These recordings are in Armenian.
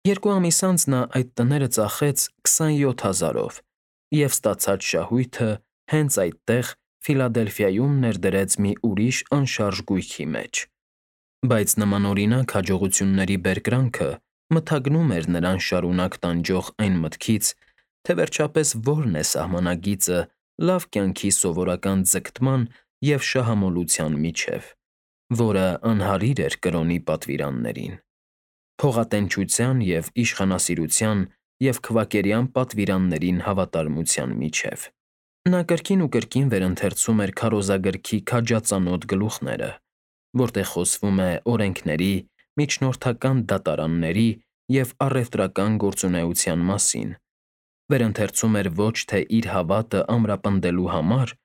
2 ամիս անց նա այդ տները ծախեց 27,000-ով և ստացած շահույթը հենց այդտեղ Ֆիլադելֆիայում ներդրեց մի ուրիշ անշարժ գույքի մեջ։ Բայց նմանօրինակ հաջողությունների բերկրանքը մթագնում էր նրան շարունակ տանջող այն մտքից, թե վերջապես որն է սահմանագիծը լավ կյանքի սովորական ձգտման և շահամոլության միջև, որը անհարիր էր կրոնի պատվիրաններին։ Փողատենչության և իշխանասիրության և քվակերյան պատվիրաններին հավատարմության միջև։ Նա կրկին ու կրկին վերընթերցում էր քարոզագրքի քաջածանոթ գլուխները, որտեղ խոսվում է օրենքների, միջնորդական դատարանների և առևտրական գործունեության մասին, վերընթերցում էր ոչ թե իր հավատը ամրապնդելու համար,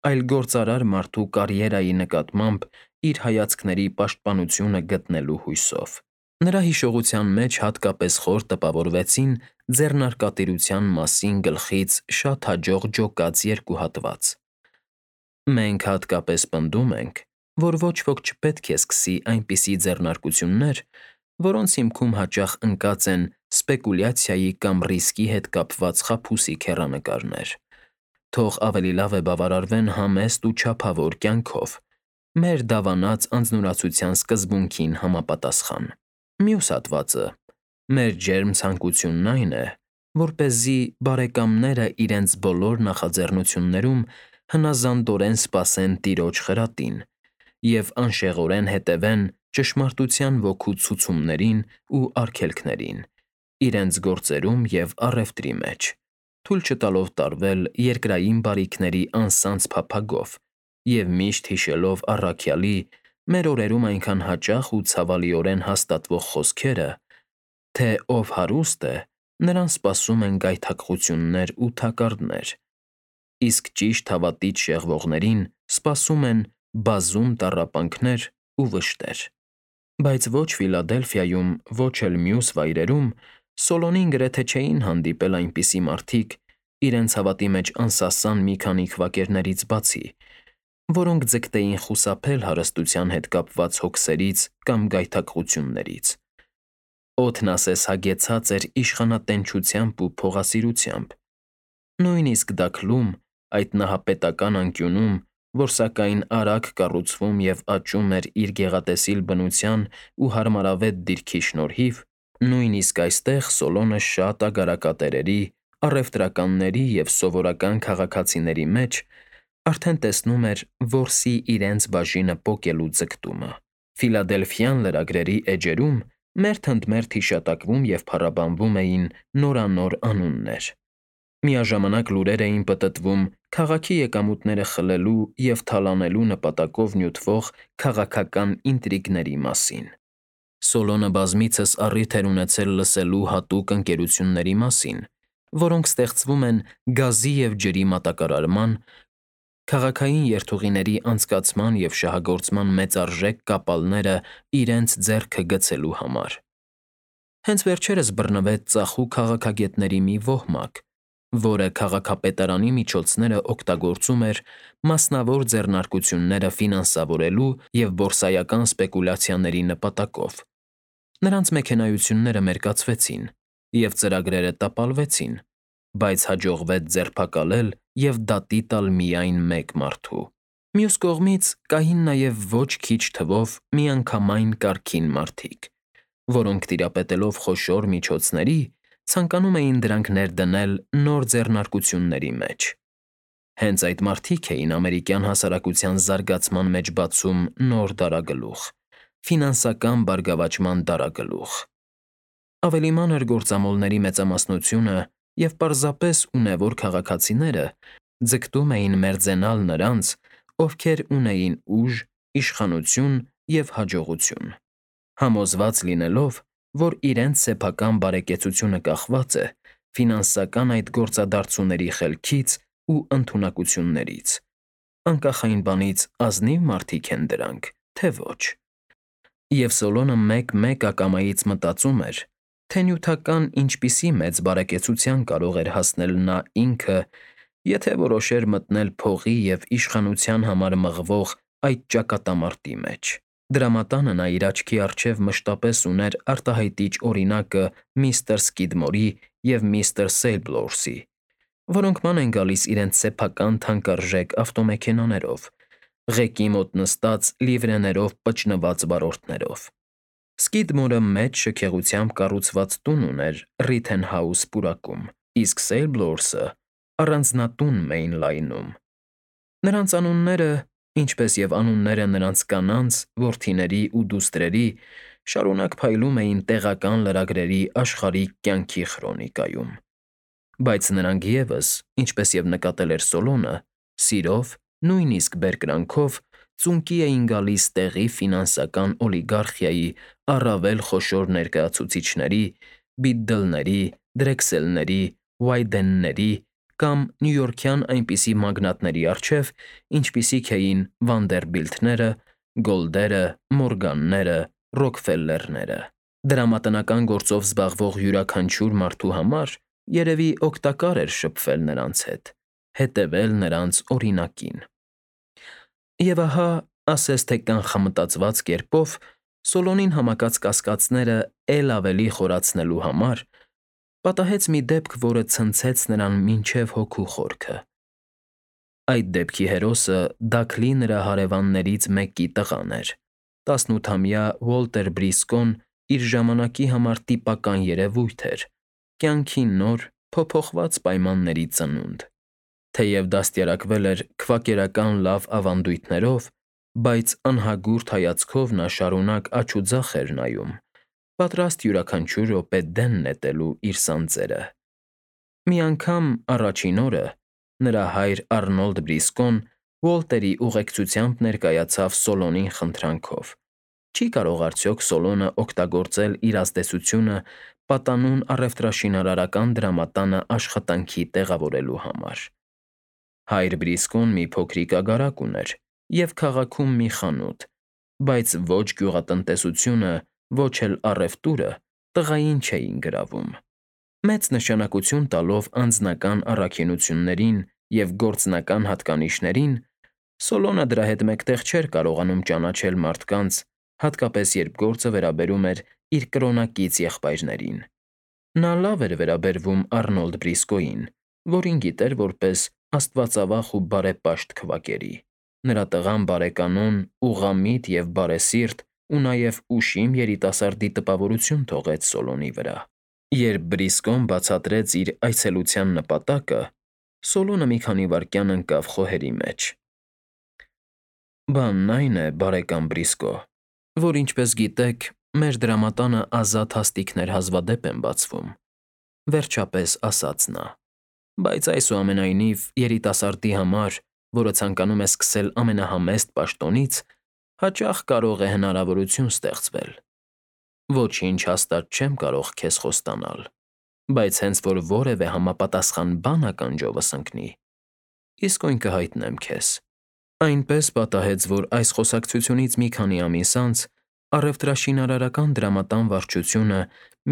այլ գործարար մարդու կարիերայի նկատմամբ իր հայացքների պաշտպանությունը գտնելու հույսով։ Նրա հիշողության մեջ հատկապես խոր տպավորվեցին ձեռնարկատիրության մասին գլխից շատ հաջող ջոկած 2 հատված։ Մենք հատկապես պնդում ենք, որ ոչ ոք չպետք է սկսի այնպիսի ձեռնարկություններ, որոնց հիմքում հաճախ ընկած են սպեկուլյացիայի կամ ռիսկի հետ կապված խաբուսիկ հեռանկարներ։ Թող ավելի լավ է բավարարվեն համեստ ու չափավոր կյանքով, մեր դավանած անձնուրացության սկզբունքին համապատասխան։ Մյուս հատվածը. մեր ջերմ ցանկությունն այն է, որպեսզի բարեկամները իրենց բոլոր նախաձեռնություններում հնազանդորեն սպասեն տիրոջ խրատին և անշեղորեն հետևեն ճշմարտության ոգու ցուցումներին ու արգելքներին, իրենց գործերում և առևտրի մեջ, թույլ չտալով տարվել երկրային բարիքների անսանձ փափագով և միշտ հիշելով առաքյալի մեր օրերում այնքան հաճախ ու ցավալիորեն հաստատվող խոսքերը, թե ով հարուստ է, նրան սպասում են գայթակղություններ ու թակարդներ, իսկ ճիշտ հավատից շեղվողներին սպասում են բազում տառապանքներ ու վշտեր։ Բայց ոչ Ֆիլադելֆիայում, ոչ էլ մյուս վայրերում Սոլոնին գրեթե չէին հանդիպել այնպիսի մարդիկ, իրենց հավատի մեջ անսասան մի քանի քվակերներից բացի, որոնք ձգտեին խուսափել հարստության հետ կապված հոգսերից կամ գայթակղություններից։ Օդն ասես հագեցած էր իշխանատենչությամբ ու փողասիրությամբ։ Նույնիսկ Դաքլում, այդ նահապետական անկյունում, որ սակայն արագ կառուցվում և աճում էր իր գեղատեսիլ բնության ու հարմարավետ դիրքի շնորհիվ, նույնիսկ այստեղ Սոլոնը շատ ագարակատերերի, առևտրականների և սովորական քաղաքացիների մեջ արդեն տեսնում էր որսի իրենց բաժինը պոկելու ձգտումը։ Ֆիլադելֆյան լրագրերի էջերում մերթ ընդ մերթ հիշատակվում և փառաբանվում էին նորանոր անուններ։ Միաժամանակ լուրեր էին պտտվում քաղաքի եկամուտները խլելու և թալանելու նպատակով նյութվող քաղաքական ինտրիգների մասին։ Սոլոնը բազմիցս առիթ էր ունեցել լսելու հատուկ ընկերությունների մասին, որոնք ստեղծվում են գազի և ջրի մատակարարման, քաղաքային երթուղիների անցկացման և շահագործման մեծարժեք կապալները իրենց ձեռքը գցելու համար։ Հենց վերջերս բռնվեց ծախու քաղաքագետների մի ոհմակ, որը քաղաքապետարանի միջոցները օգտագործում էր մասնավոր ձեռնարկությունները ֆինանսավորելու և բորսայական սպեկուլյացիաների նպատակով։ Նրանց մեքենայությունները մերկացվեցին, և ծրագրերը տապալվեցին, բայց հաջողվեց ձերբակալել և դատի տալ միայն մեկ մարդու։ Մյուս կողմից կային նաև ոչ քիչ թվով միանգամայն կարգին մարդիկ, որոնք տիրապետելով խոշոր միջոցների, ցանկանում էին դրանք ներդնել նոր ձեռնարկությունների մեջ։ Հենց այդ մարդիկ էին ամերիկյան հասարակության զարգացման մեջ բացում նոր դարագլուխ՝ ֆինանսական բարգավաճման դարագլուխ։ Ավելի մանր գործամոլների մեծամասնությունը և պարզապես ունևոր քաղաքացիները ձգտում էին մերձենալ նրանց, ովքեր ունեին ուժ, իշխանություն և հաջողություն, համոզված լինելով, որ իրենց սեփական բարեկեցությունը կախված է ֆինանսական այդ գործադարձուների խելքից ու ընդունակություններից, անկախ այն բանից՝ ազնիվ մարդիկ են դրանք, թե ոչ։ Եվ Սոլոնը մեկ-մեկ ակամայից մտածում էր, թե նյութական ինչպիսի մեծ բարեկեցության կարող էր հասնել նա ինքը, եթե որոշեր մտնել փողի և իշխանության համար մղվող այդ ճակատամարտի մեջ։ Դրամատանը նա իր աչքի առջև մշտապես ուներ արտահայտիչ օրինակը միստր Սկիդմորի և միստր Սեյլբլորսի, որոնք ման են գալիս իրենց սեփական թանկարժեք ավտոմեքենաներով, ղեկի մոտ նստած լիվրեներով պճնված վարորդներով։ Սկիդմորը մեծ շքեղությամբ կառուցված տուն ուներ Ռիթենհաուս պուրակում, իսկ Սեյլբլորսը՝ առանձնատուն Մեյնլայնում։ Նրանց անունները, ինչպես և անունները նրանց կանանց, որդիների ու դուստրերի, շարունակ փայլում էին տեղական լրագրերի աշխարհիկ կյանքի խրոնիկայում։ Բայց նրանք ևս, ինչպես և նկատել էր Սոլոնը, սիրով, նույնիսկ բերկրանքով ծունկի էին գալիս տեղի ֆինանսական օլիգարխիայի առավել խոշոր ներկայացուցիչների, Բիդդլների, Դրեքսելների, Ուայդենների կամ նյույորքյան այնպիսի մագնատների առջև, ինչպիսիք էին Վանդերբիլթները, Գոլդերը, Մորգանները, Ռոքֆելլերները։ Դրամատնական գործով զբաղվող յուրաքանչյուր մարդու համար երևի օգտակար էր շփվել նրանց հետ, հետևել նրանց օրինակին։ Եվ ահա, ասես թե կանխամտածված կերպով, Սոլոնին համակած կասկածները էլ ավելի խորացնելու համար պատահեց մի դեպք, որը ցնցեց նրան մինչև հոգու խորքը։ Այդ դեպքի հերոսը Դաքլի նրա հարևաններից մեկի տղան էր, 18-ամյա Ուոլտեր Բրիսկոն իր ժամանակի համար տիպական երևույթ էր, կյանքի նոր, փոփոխված պայմանների ծնունդ։ Թեև դաստիարակվել էր քվակերական լավ ավանդույթներով, բայց անհագուրդ հայացքով նա շարունակ աջ ու ձախ էր նայում, պատրաստ յուրաքանչյուր րոպե դեն նետելու իր սանձերը։ Մի անգամ առաջին օրը նրա հայր Առնոլդ Բրիսկոն Ուոլտերի ուղեկցությամբ ներկայացավ Սոլոնին խնդրանքով. չի կարող արդյոք Սոլոնը օգտագործել իր ազդեցությունը պատանուն առևտրաշինարարական դրամատանը աշխատանքի տեղավորելու համար։ Հայր Բրիսկոն մի փոքրիկ ագարակ ուներ և քաղաքում մի խանութ, բայց ոչ գյուղատնտեսությունը, ոչ էլ առևտուրը տղային չէին գրավում։ Մեծ նշանակություն տալով անձնական առաքինություններին և գործնական հատկանիշներին, Սոլոնը դրա հետ մեկտեղ չէր կարողանում ճանաչել մարդկանց, հատկապես երբ գործը վերաբերում էր իր կրոնակից եղբայրներին։ Նա լավ էր վերաբերվում Առնոլդ Բրիսկոյին, որին գիտեր որպես աստվածավախ ու բարեպաշտ քվակերի։ Նրա տղան բարեկանոն, ուղղամիտ և բարեսիրտ ու նաև ուշիմ երիտասարդի տպավորություն թողեց Սոլոնի վրա։ Երբ Բրիսկոն բացատրեց իր այցելության նպատակը, Սոլոնը մի քանի վայրկյան ընկավ խոհերի մեջ։ Բանն այն է, բարեկամ Բրիսկո, որ ինչպես գիտեք, մեր դրամատանը ազատ հաստիքներ հազվադեպ են բացվում, վերջապես ասաց նա։ Բայց այսուամենայնիվ երիտասարդի համար, որը ցանկանում է սկսել ամենահամեստ պաշտոնից, հաճախ կարող է հնարավորություն ստեղծվել։ Ոչինչ հաստատ չեմ կարող քեզ խոստանալ, բայց հենց որ որևէ համապատասխան բան ականջովս ընկնի, իսկույն կհայտնեմ քեզ։ Այնպես պատահեց, որ այս խոսակցությունից մի քանի ամիս անց առևտրաշինարարական դրամատան վարչությունը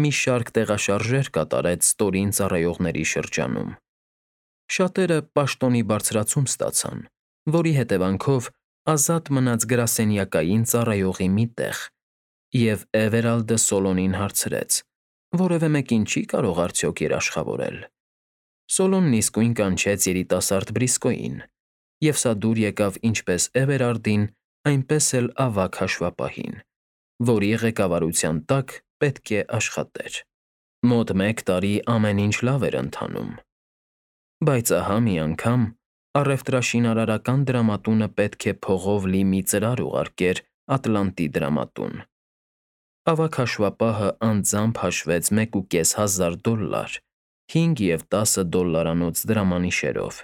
մի շարք տեղաշարժեր կատարեց ստորին ծառայողների շրջանում։ Շատերը պաշտոնի բարձրացում ստացան, որի հետևանքով ազատ մնաց գրասենյակային ծառայողի մի տեղ, և Էվերալդը Սոլոնին հարցրեց. որևէ մեկին չի՞ կարող արդյոք երաշխավորել։ Սոլոնն իսկույն կանչեց երիտասարդ Բրիսկոյին, և սա դուր եկավ ինչպես Էվերարդին, այնպես էլ ավագ հաշվապահին, որի ղեկավարության տակ պետք է աշխատեր։ Մոտ մեկ տարի ամեն ինչ լավ էր ընթանում։ Բայց ահա մի անգամ առևտրաշինարարական դրամատունը պետք է փողով լի մի ծրար ուղարկեր Ատլանտի դրամատուն։ Ավագ հաշվապահը անձամբ հաշվեց $1,500, 5 և 10 դոլլարանոց դրամանիշերով,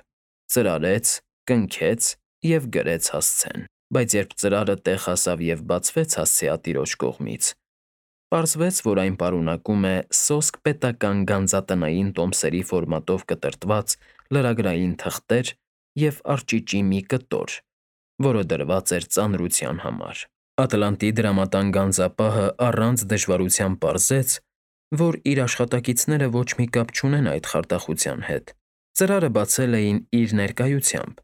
ծրարեց, կնքեց և գրեց հասցեն։ Բայց երբ ծրարը տեղ հասավ և բացվեց հասցեատիրոջ կողմից, պարզվեց, որ այն պարունակում է սոսկ պետական գանձատնային տոմսերի ֆորմատով կտրտված լրագրային թղթեր և արճիճի մի կտոր, որը դրված էր ծանրության համար։ Ատլանտի դրամատան գանձապահը առանց դժվարության պարզեց, որ իր աշխատակիցները ոչ մի կապ չունեն այդ խարդախության հետ։ Ծրարը բացել էին իր ներկայությամբ,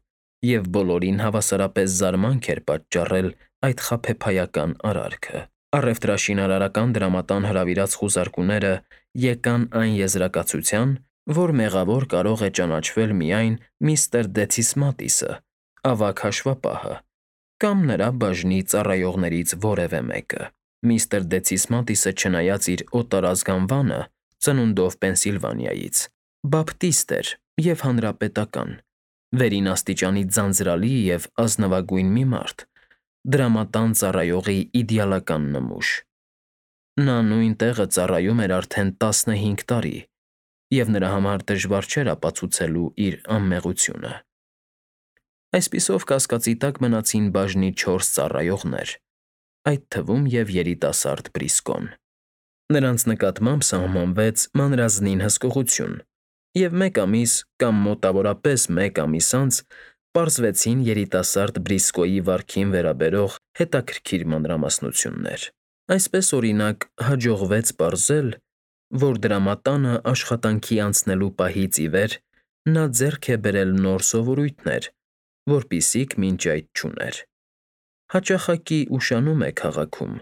և բոլորին հավասարապես զարմանք էր պատճառել այդ խաբեբայական արարքը։ Առևտրաշինարարական դրամատան հրավիրած խուզարկուները եկան այն եզրակացության, որ մեղավոր կարող է ճանաչվել միայն միստր Դեթիս Մատիսը, ավագ հաշվապահը, կամ նրա բաժնի ծառայողներից որևէ մեկը։ Միստր Դեթիս Մատիսը, չնայած իր օտարազգանվանը, ծնունդով Պենսիլվանիայից, բապտիստ էր և հանրապետական, վերին աստիճանի ձանձրալի և ազնվագույն մի մարդ, դրամատան ծառայողի իդեալական նմուշ։ Նա նույն տեղը ծառայում էր արդեն 15 տարի, և նրա համար դժվար չէր ապացուցելու իր անմեղությունը։ Այսպիսով կասկածի տակ մնացին բաժնի 4 ծառայողներ, այդ թվում և երիտասարդ Բրիսկոն։ Նրանց նկատմամբ սահմանվեց մանրազնին հսկողություն, և մեկ ամիս կամ մոտավորապես մեկ ամիս անց պարզվեցին երիտասարդ Բրիսկոյի վարքին վերաբերող հետաքրքիր մանրամասնություններ։ Այսպես, օրինակ, հաջողվեց պարզել, որ դրամատանը աշխատանքի անցնելու պահից ի վեր նա ձեռք է բերել նոր սովորույթներ, որպիսիք մինչ այդ չուներ։ Հաճախակի ուշանում է քաղաքում,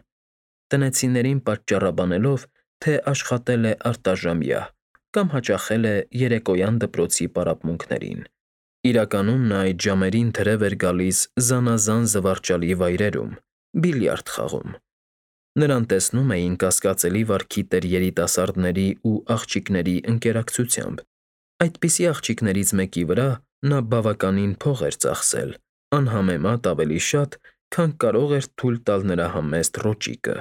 տնեցիներին պատճառաբանելով, թե աշխատել է արտաժամյա կամ հաճախել է երեկոյան դպրոցի պարապմունքներին։ Իրականում նա այդ ժամերին թրև էր գալիս զանազան զվարճալի վայրերում, բիլիարդ խաղում։ Նրան տեսնում էին կասկածելի վարքի տեր երիտասարդների ու աղջիկների ընկերակցությամբ։ Այդպիսի աղջիկներից մեկի վրա նա բավականին փող էր ծախսել, անհամեմատ ավելի շատ, քան կարող էր թույլ տալ նրա համեստ ռոճիկը։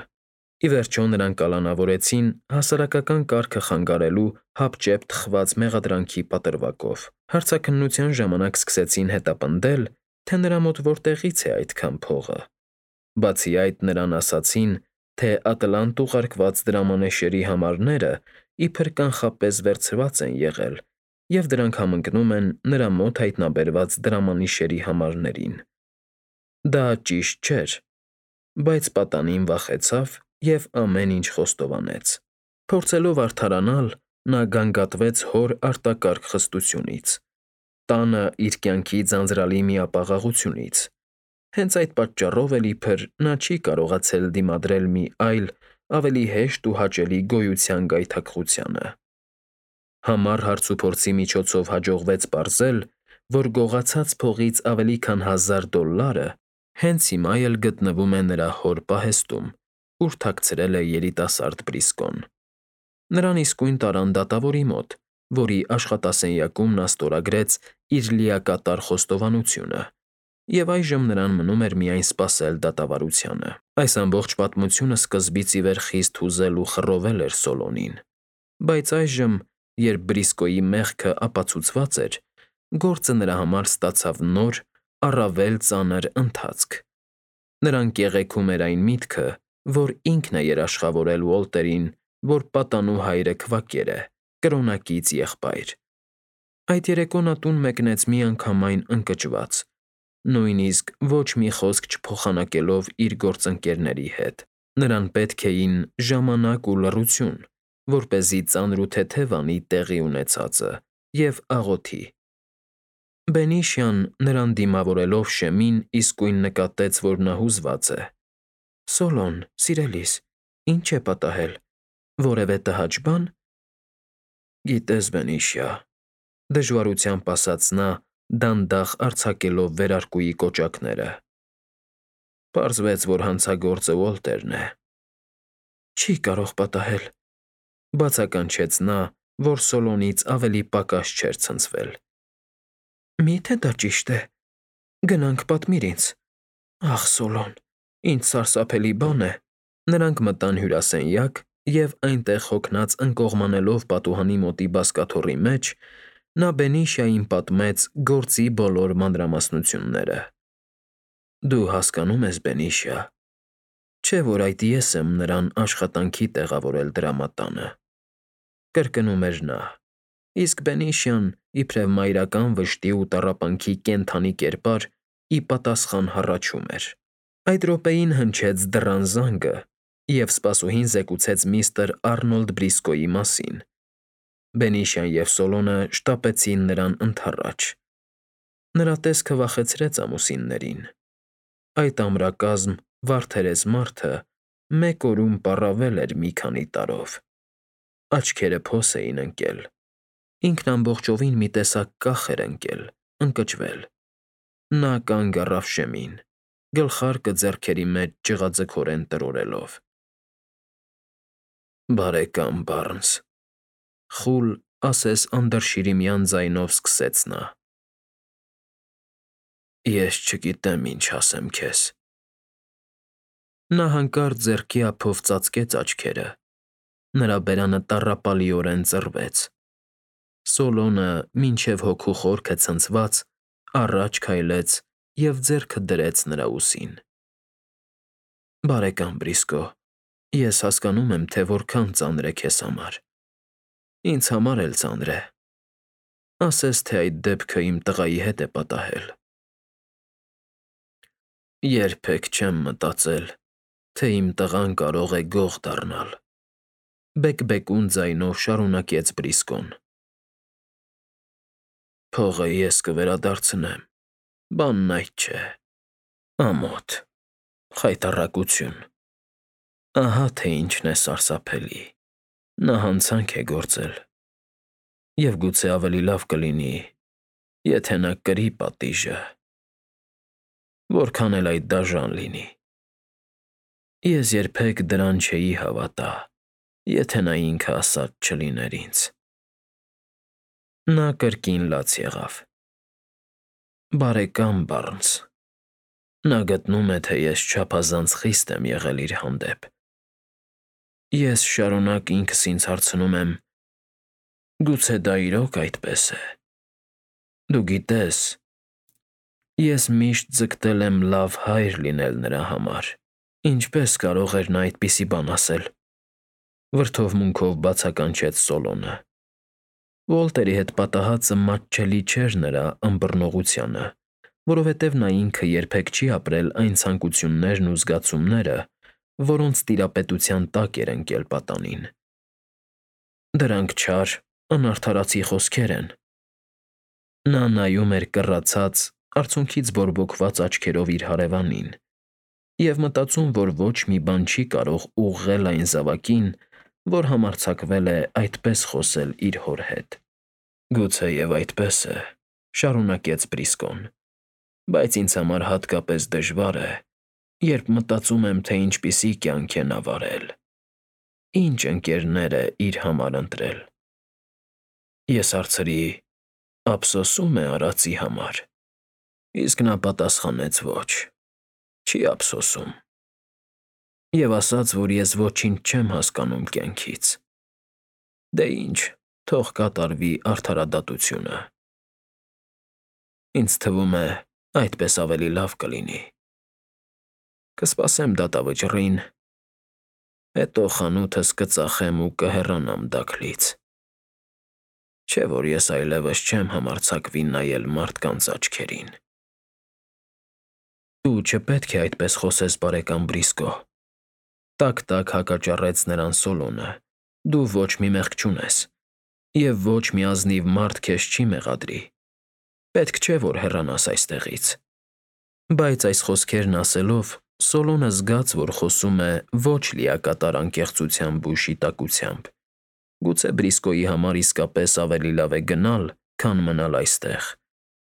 Ի վերջո նրան կալանավորեցին հասարակական կարգը խանգարելու հապճեպ թխված մեղադրանքի պատրվակով։ Հարցաքննության ժամանակ սկսեցին հետապնդել, թե նրա մոտ որտեղից է այդքան փողը։ Բացի այդ, նրան ասացին, թե ատլանտ ուղարկված դրամանեշերի համարները իբր կանխապես վերցված են եղել, և դրանք համընկնում են նրա մոտ հայտնաբերված դրամանիշերի համարներին։ Դա ճիշտ չէր, բայց պատանին վախեցավ և ամեն ինչ խոստովանեց։ Փորձելով արդարանալ, նա գանգատվեց հոր արտակարգ խստությունից, տանը իր կյանքի ձանձրալի միապաղաղությունից։ Հենց այդ պատճառով էլ իբր նա չի կարողացել դիմադրել մի այլ, ավելի հեշտ ու հաճելի գոյության գայթակղությանը։ Համառ հարցուփորձի միջոցով հաջողվեց պարզել, որ գողացած փողից ավելի քան $1000 հենց հիմա էլ գտնվում է նրա հոր պահեստում, ուր թաքցրել է երիտասարդ Բրիսկոն։ Նրան իսկույն տարան դատավորի մոտ, որի աշխատասենյակում նա ստորագրեց իր լիակատար խոստովանությունը, և այժմ նրան մնում էր միայն սպասել դատավարությանը։ Այս ամբողջ պատմությունը սկզբից ի վեր խիստ հուզել ու խռովել էր Սոլոնին, բայց այժմ, երբ Բրիսկոյի մեղքը ապացուցված էր, գործը նրա համար ստացավ նոր, առավել ծանր ընթացք։ Նրան կեղեքում էր այն միտքը, որ ինքն է երաշխավորել Ուոլտերին, որ պատանու հայրը քվակեր է, կրոնակից եղբայր։ Այդ երեկո նա տուն մեկնեց միանգամայն ընկճված, նույնիսկ ոչ մի խոսք չփոխանակելով իր գործընկերների հետ։ Նրան պետք էին ժամանակ ու լռություն, որպեսզի ծանր ու թեթև անի տեղի ունեցածը և աղոթի։ Բենիշյան, նրան դիմավորելով շեմին, իսկույն նկատեց, որ նա հուզված է։ «Սոլոն, սիրելիս, ի՞նչ է պատահել, որևէ տհաճ բան»։ Գիտես, Բենիշիա, դժվարությամբ ասաց նա, դանդաղ արձակելով վերարկուի կոճակները։ Պարզվեց, որ հանցագործը Ուոլտերն է։ Չի կարող պատահել, բացականչեց նա, որ Սոլոնից ավելի պակաս չէր ցնցվել։ Մի՞թե դա ճիշտ է։ Գնանք պատմիր ինձ։ Ախ, Սոլոն, ինչ սարսափելի բան է։ Նրանք մտան հյուրասենյակ, և այնտեղ հոգնած ընկողմանելով պատուհանի մոտի բազկաթոռի մեջ, նա Բենիշիային պատմեց գործի բոլոր մանրամասնությունները։ Դու հասկանում ես, Բենիշիա, չէ՞ որ այդ ես եմ նրան աշխատանքի տեղավորել դրամատանը, կրկնում էր նա, իսկ Բենիշյան, իբրև մայրական վշտի ու տառապանքի կենդանի կերպար, ի պատասխան հառաչում էր։ Այդ րոպեին հնչեց դռան զանգը, և սպասուհին զեկուցեց միստր Առնոլդ Բրիսկոյի մասին։ Բենիշյան և Սոլոնը շտապեցին նրան ընդառաջ։ Նրա տեսքը վախեցրեց ամուսիններին։ Այդ ամրակազմ վարդերես մարդը մեկ օրում պառավել էր մի քանի տարով։ Աչքերը փոս էին ընկել, ինքն ամբողջովին մի տեսակ կախ էր ընկել, ընկճվել։ Նա կանգ առավ շեմին, գլխարկը ձեռքերի մեջ ճղաձգորեն տրորելով։ «Բարեկամ Բարնս», խուլ, ասես անդրշիրիմյան ձայնով սկսեց նա, «ես չգիտեմ ինչ ասեմ քեզ»։ Նա հանկարծ ձեռքի ափով ծածկեց աչքերը, նրա բերանը տառապալիորեն ծռվեց։ Սոլոնը, մինչև հոգու խորքը ցնցված, առաջ քայլեց և ձեռքը դրեց նրա ուսին։ «Բարեկամ Բրիսկո, ես հասկանում եմ, թե որքան ծանր է քեզ համար։ Ինձ համար էլ ծանր է։ Ասես թե այդ դեպքը իմ տղայի հետ է պատահել։ Երբեք չեմ մտածել, թե իմ տղան կարող է գող դառնալ», բեկբեկուն ձայնով շարունակեց Բրիսկոն։ «Փողը ես կվերադարձնեմ, բանն այդ չէ։ Ամոթ, խայտառակություն։ Ահա թե ինչն է սարսափելի։ Նա հանցանք է գործել։ Եվ գուցե ավելի լավ կլինի, եթե նա կրի պատիժը, որքան էլ այդ դաժան լինի։ Ես երբեք դրան չէի հավատա, եթե նա ինքը ասած չլիներ ինձ»։ Նա կրկին լաց եղավ։ «Բարեկամ Բարնս, նա գտնում է, թե ես չափազանց խիստ եմ եղել իր հանդեպ։ Ես շարունակ ինքս ինձ հարցնում եմ. գուցե դա իրոք այդպես է։ Դու գիտես, ես միշտ ձգտել եմ լավ հայր լինել նրա համար։ Ինչպե՞ս կարող էր նա այդպիսի բան ասել»։ Վրդովմունքով բացականչեց Սոլոնը։ Ուոլտերի հետ պատահածը մատչելի չէր նրա ըմբռնողությանը, որովհետև նա ինքը երբեք չի ապրել այն ցանկություններն ու զգացումները, որոնց տիրապետության տակ էր ընկել պատանին։ Դրանք չար, անարդարացի խոսքեր են։ Նա նայում էր կռացած, արցունքից բորբոքված աչքերով իր հարևանին և մտածում, որ ոչ մի բան չի կարող ուղղել այն զավակին, որ համարձակվել է այդպես խոսել իր հոր հետ։ «Գուցեև այդպես է», շարունակեց Բրիսկոն, «բայց ինձ համար հատկապես դժվար է, երբ մտածում եմ, թե ինչպիսի կյանք է նա վարել, ինչ ընկերներ է իր համար ընտրել։ Ես հարցրի. ափսոսո՞ւմ է արածի համար։ Իսկ նա պատասխանեց. ոչ, չի ափսոսում։ Եվ ասաց, որ ես ոչինչ չեմ հասկանում կյանքից։ Դե ինչ, թող կատարվի արդարադատությունը։ Ինձ թվում է, այդպես ավելի լավ կլինի։ Կսպասեմ դատավճռին, հետո խանութս կծախեմ ու կհեռանամ Դաքլից։ Չէ՞ որ ես այլևս չեմ համարձակվի նայել մարդկանց աչքերին»։ «Դու չպետք է այդպես խոսես, բարեկամ Բրիսկո», տակ հակաճառեց նրան Սոլոնը։ «Դու ոչ մի մեղք չունես, և ոչ մի ազնիվ մարդ քեզ չի մեղադրի։ Պետք չէ, որ հեռանաս այստեղից»։ Բայց այս խոսքերն ասելով, Սոլոնը զգաց, որ խոսում է ոչ լիակատար անկեղծությամբ ու շիտակությամբ։ Գուցե Բրիսկոյի համար իսկապես ավելի լավ է գնալ, քան մնալ այստեղ,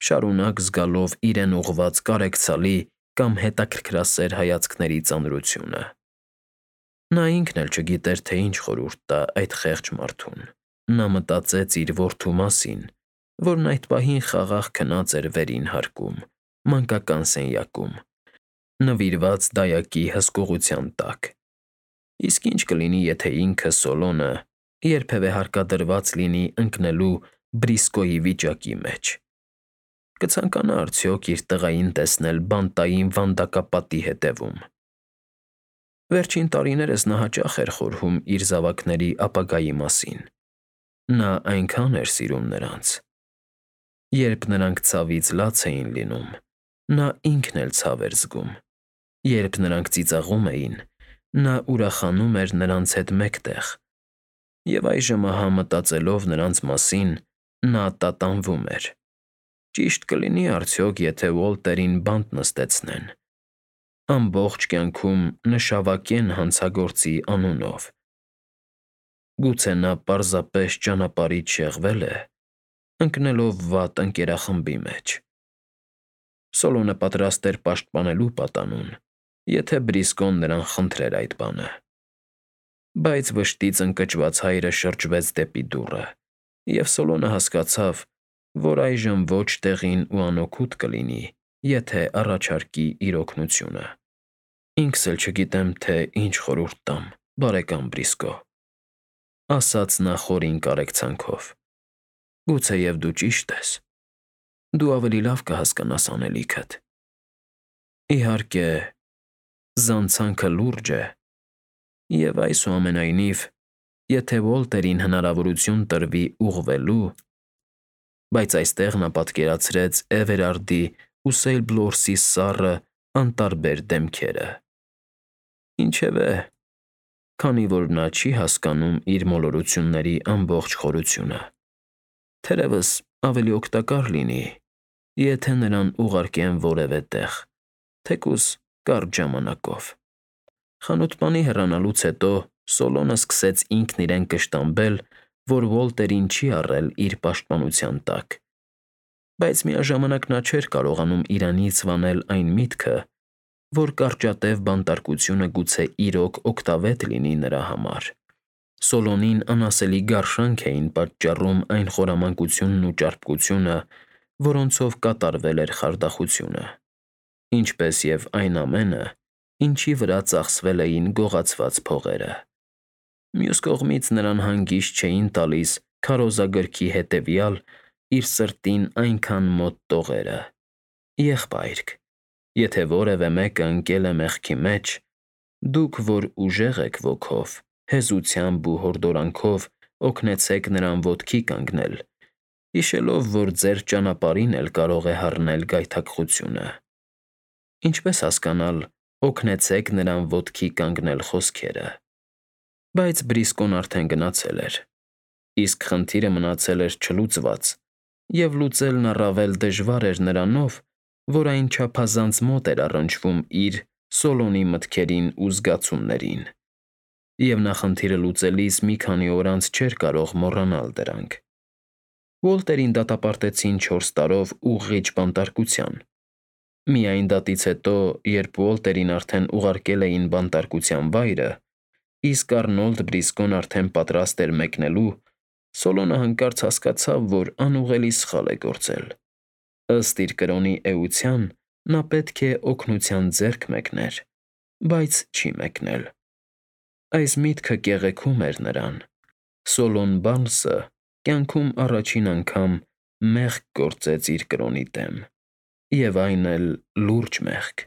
շարունակ զգալով իրեն ուղղված կարեկցալի կամ հետաքրքրասեր հայացքների ծանրությունը։ Նա ինքն էլ չգիտեր, թե ինչ խորհուրդ տա այդ խեղճ մարդուն։ Նա մտածեց իր որդու մասին, որն այդ պահին խաղաղ քնած էր վերին հարկում, մանկական սենյակում, նվիրված դայակի հսկողության տակ։ Իսկ ինչ կլինի, եթե ինքը Սոլոնը երբևէ հարկադրված լինի ընկնելու Բրիսկոյի վիճակի մեջ։ Կցանկանա արդյոք իր տղային տեսնել բանտային վանդակապատի հետևում։ Վերջին տարիներս նա հաճախ էր խորհում իր զավակների ապագայի մասին։ Նա այնքան էր սիրում նրանց։ Երբ նրանք ցավից լաց էին լինում, նա ինքն էլ ցավ էր զգում։ Երբ նրանք ծիծաղում էին, նա ուրախանում էր նրանց հետ մեկտեղ։ Եվ այժմ ահա մտածելով նրանց մասին, նա տատանվում էր։ Ճիշտ կլինի արդյոք, եթե Ուոլտերին բանտ նստեցնեն, ամբողջ կյանքում նշավակեն հանցագործի անունով։ Գուցե նա պարզապես ճանապարհից շեղվել է, ընկնելով վատ ընկերախմբի մեջ։ Սոլոնը պատրաստ էր պաշտպանելու պատանուն, եթե Բրիսկոն նրան խնդրեր այդ բանը։ Բայց վշտից ընկճված հայրը շրջվեց դեպի դուռը, և Սոլոնը հասկացավ, որ այժմ ոչ տեղին ու անօգուտ կլինի, եթե առաջարկի իր օգնությունը։ «Ինքս էլ չգիտեմ, թե ինչ խորհուրդ տամ, բարեկամ Բրիսկո», ասաց նա խորին կարեկցանքով։ «Գուցեև դու ճիշտ ես։ Դու ավելի լավ կհասկանաս անելիքդ։ Իհարկե, զանցանքը լուրջ է, և այսուամենայնիվ, եթե Ուոլտերին հնարավորություն տրվի ուղղվելու…» Բայց այստեղ նա պատկերացրեց Էվերարդի ու Սեյլբլորսի սառը, անտարբեր դեմքերը։ Ինչևէ, քանի որ նա չի հասկանում իր մոլորությունների ամբողջ խորությունը, թերևս ավելի օգտակար լինի, եթե նրան ուղարկեն որևէ տեղ, թեկուզ կարճ ժամանակով։ Խանութպանի հեռանալուց հետո Սոլոնը սկսեց ինքն իրեն կշտամբել, որ Ուոլտերին չի առել իր պաշտպանության տակ, բայց միաժամանակ նա չէր կարողանում իրանից վանել այն միտքը, որ կարճատև բանտարկությունը գուցե իրոք օգտավետ լինի նրա համար։ Սոլոնին անասելի գարշանք էին պատճառում այն խորամանկությունն ու ճարպկությունը, որոնցով կատարվել էր խարդախությունը, ինչպես և այն ամենը, ինչի վրա ծախսվել էին գողացված փողերը։ Մյուս կողմից նրան հանգիստ չէին տալիս քարոզագրքի հետևյալ իր սրտին այնքան մոտ տողերը. «Եղբայրք, եթե որևէ մեկը ընկել է մեղքի մեջ, դուք, որ ուժեղ եք ոգով, հեզությամբ ու հորդորանքով օգնեցեք նրան ոտքի կանգնել, հիշելով, որ ձեր ճանապարհին էլ կարող է հառնել գայթակղությունը»։ Ինչպես հասկանալ «օգնեցեք նրան ոտքի կանգնել» խոսքերը։ Բայց Բրիսկոն արդեն գնացել էր, իսկ խնդիրը մնացել էր չլուծված, և լուծելն առավել դժվար էր նրանով, որ այն չափազանց մոտ էր առնչվում իր՝ Սոլոնի մտքերին ու զգացումներին, և նա խնդիրը լուծելիս մի քանի օր անց չէր կարող մոռանալ դրանք։ Ուոլտերին դատապարտեցին 4 տարով ուղղիչ բանտարկության։ Միայն դատից հետո, երբ Ուոլտերին արդեն ուղարկել էին բանտարկության վայրը, իսկ Առնոլդ Բրիսկոն արդեն պատրաստ էր մեկնելու, Սոլոնը հանկարծ հասկացավ, որ անուղղելի սխալ է գործել։ Ըստ իր կրոնի էության, նա պետք է օգնության ձեռք մեկներ, բայց չի մեկնել։ Այս միտքը կեղեքում էր նրան։ Սոլոն Բարնսը կյանքում առաջին անգամ մեղք գործեց իր կրոնի դեմ, և այն էլ լուրջ մեղք։